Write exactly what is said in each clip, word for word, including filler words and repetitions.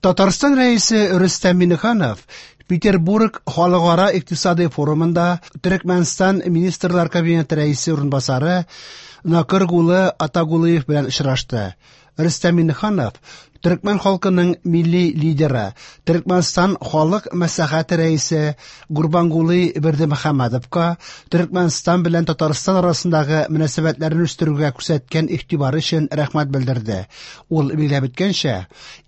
Татарстан Рәисе Рөстәм Миңнеханов Петербург халыкара икътисади форумында Төрекмәнстан Министрлар Кабинеты рәисе урынбасары Нокергулы Атагулыев белән очрашты. Рөстәм Миңнеханов төрекмән халкының милли лидеры, Төрекмәнстан Халык Мәслихәте рәисе Гурбангулы Бердымөхәммәдовка Төрекмәнстан белән Татарстан арасындагы мөнәсәбәтләрне үстерүгә күрсәткән игътибары өчен рәхмәт белдерде. Ул билгеләп үткәнчә,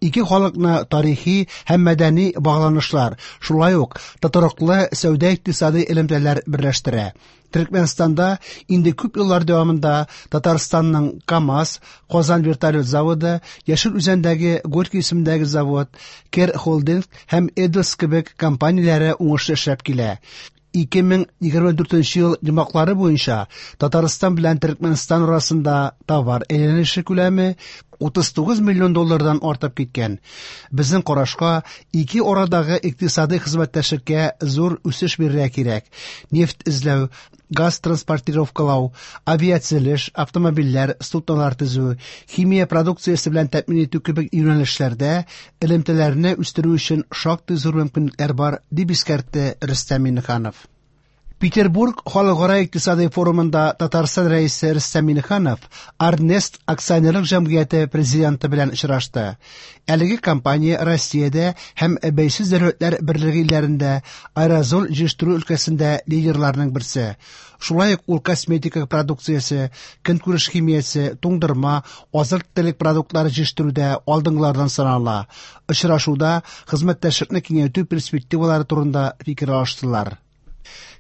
ике халыкны тарихи һәм мәдәни багланышлар, шулай ук тотрыклы сәүдә-икътисади элемтәләр берләштерә. Төрекмәнстанда инде күп еллар дәвамында Татарстанның КАМАЗ, Казан вертолет заводы, Яшел Үзәндәге Горький исемендәге завод, Кер Холдинг һәм Эдос кебек компанияләре уңышлы эшләп килә. ике мең егерме дүртенче ел йомгаклары буенча Татарстан белән Төрекмәнстан арасында товар әйләнеше күләме утыз тугыз миллион доллардан артып киткән. Безнең карашка, ике арадагы икътисади хезмәттәшлеккә зур үсеш бирергә кирәк. Нефть эзләү, газ транспортировкалау, авиатөзелеш, автомобильләр, суднолар төзү, химия продукциясе белән тәэмин итү кебек юнәлешләрдә элемтәләрне үстерү өчен шактый зур мөмкинлекләр бар, дип искәртте Рөстәм Миңнеханов. Петербург халыкара икътисади форумында Татарстан рәисе Рөстәм Миңнеханов Арнест акционерлык җәмгыяте президенты белән очрашты. Әлеге компания Россиядә һәм Бәйсез дәүләтләр берлеге илләрендә аэрозоль җыештыру өлкәсендә лидерларның берсе. Шулай ук ул косметика продукциясе, көнкүреш химиясе, туңдырма, азык-төлек продуктлары җыештыруда алдынгылардан санала. Очрашуда хезмәттәшлекне киңәйтү перспективалары турында фикер алыштылар.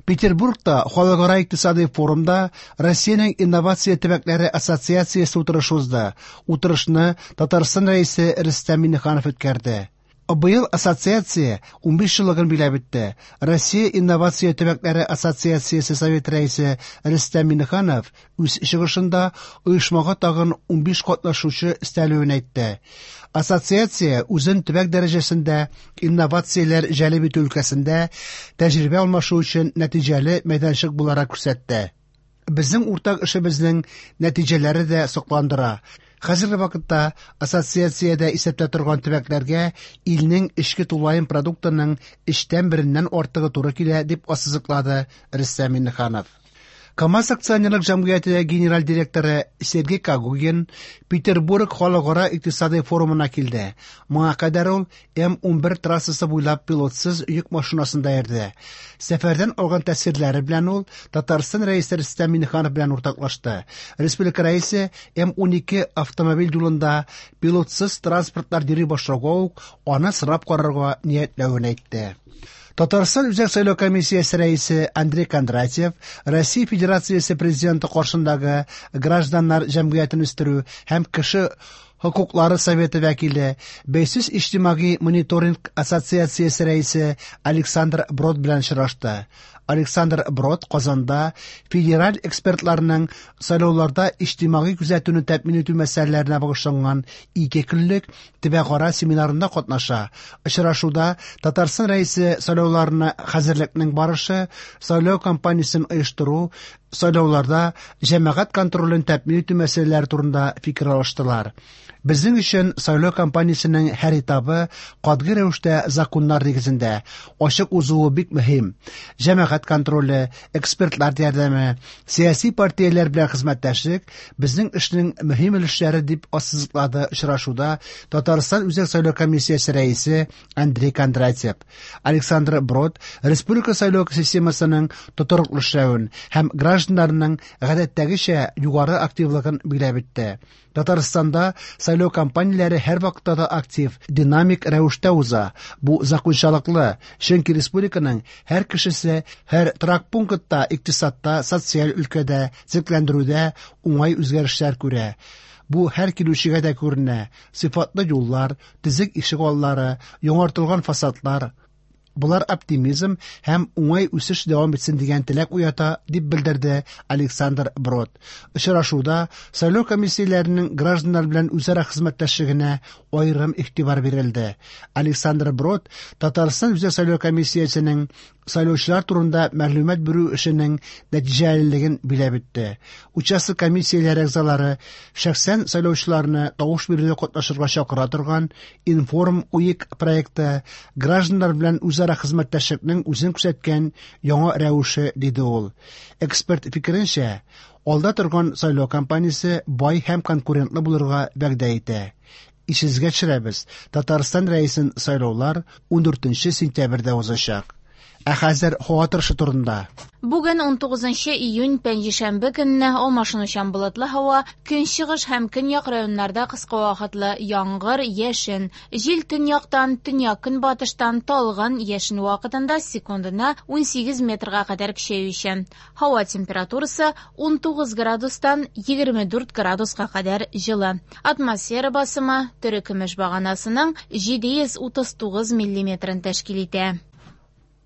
Петербургта халыкара икътисади форумда Россиянең инновация төбәкләре ассоциациясе утырышы узды. Утырышны Татарстан рәисе Рөстәм Миңнеханов үткәрде. Быел ассоциация унбиш еллыгын биләп үтте. Россия инновация төбәкләре ассоциациясе совет рәисе Рөстәм Миңнеханов үз чыгышында оешмага тагын унбиш катнашучы өстәлүен әйтте. Ассоциация үзен төбәк дәрәҗәсендә инновацияләр җәлеп итү өлкәсендә тәҗрибә алмашу өчен нәтиҗәле мәйданчык буларак күрсәтте. Безнең уртак эшебезнең нәтиҗәләре дә сокландыра. Хәзерге вакытта ассоциациядә исәптә торган төбәкләргә илнең эчке тулаем продуктының өчтән береннән артыгы туры килә, дип ассызыклады Рөстәм Миңнеханов. КАМАЗ акционерлык җәмгыяте генераль директоры Сергей Когогин Петербург халыкара икътисади форумына килде. Моңа кадәр ул М унбер трассасы буйлап пилотсыз йөк машинасында йөрде. Сәфәрдән алган тәэсирләре белән ул Татарстан рәисе Рөстәм Миңнеханов белән уртаклашты. Республика рәисе М унике автомобиль юлында пилотсыз транспортлар йөри башлауга ук аны сынап карарга ниятләвен әйтте. Татарстан Үзәк сайлау комиссиясе рәисе Андрей Кондратьев Россия Федерациясе президенты каршындагы гражданнар җәмгыятен үстерү һәм кеше хокуклары советы вәкиле, Бәйсез иҗтимагый мониторинг ассоциациясе рәисе Александр Брод белән очрашты. Александр Брод Казанда федераль экспертларның сайлауларда иҗтимагый күзәтүне тәэмин итү мәсьәләләренә багышланган ике көнлек төбәкара семинарында катнаша. Очрашуда Татарстан рәисе сайлауларына хәзерлекнең барышы, сайлау кампаниясен оештыру, сайлауларда җәмәгать контролен тәэмин итү мәсьәләләре турында фикер алыштылар. Безнең өчен сайлау кампаниясенең һәр этабы катгый рәвештә законнар нигезендә ачык узуы бик мөһим. Җәмәгать контроле, экспертлар ярдәме, сәяси партияләр белән хезмәттәшлек безнең эшнең мөһим өлешләре, дип ассызыклады очрашуда Татарстан Үзәк сайлау комиссиясе рәисе Андрей Кондратьев. Александр Брод республика сайлау системасының тотрыклы эшләвен һәм гражданнарның гадәттәгечә югары активлыгын билгеләп үтте. Татарстанда сайлау кампанияләре һәр вакытта да актив, динамик рәвештә уза. Бу закончалыклы, чөнки республиканың һәр кешесе һәр торак пунктта, икътисадта, социаль өлкәдә, төзекләндерүдә уңай үзгәрешләр күрә. Бу һәр килүчегә дә күренә. Сыйфатлы юллар, төзек ишек аллары, яңартылган фасадлар. Болар оптимизм һәм уңай үсеш дәвам итсен дигән теләк уята, дип белдерде Александр Брод. Очрашуда сайлау комиссияләренең гражданнар белән үзара хезмәттәшлегенә аерым игътибар бирелде. Александр Брод Татарстан Үзәк сайлау комиссиясенең сайлаучылар турында мәгълүмат бирү эшенең нәтиҗәлелеген биләп үтте. Участок комиссияләре әгъзалары шәхсән сайлаучыларны тавыш бирүдә катнашырга чакыра торган Информ УИК проекты гражданнар белән үзара хезмәттәшлекнең үзен күрсәткән яңа рәвеше, диде ул. Эксперт фикеренчә, алда торган сайлау кампаниясе бай һәм конкурентлы булырга вәгъдә итә. Исегезгә төшерәбез, Татарстан Рәисен сайлаулар ундүртенче сентябрьдә узачак. Ә хәзер һава торышы турында. Бүген унтугызынчы июнь пәнҗешәмбе көнне алмашынучан болытлы һава, көнчыгыш һәм көньяк районнарда кыска вакытлы яңгыр, яшен. Җил төньяктан, төньяк-көнбатыштан талгын, яшен вакытында секундына унсигез метрга кадәр көчәючән. Һава температурасы унтугыз градустан егерме дүрт градуска кадәр җылы. Атмосфера басымы терекөмеш баганасының җиде йөз утыз тугыз миллиметрын тәшкил итә.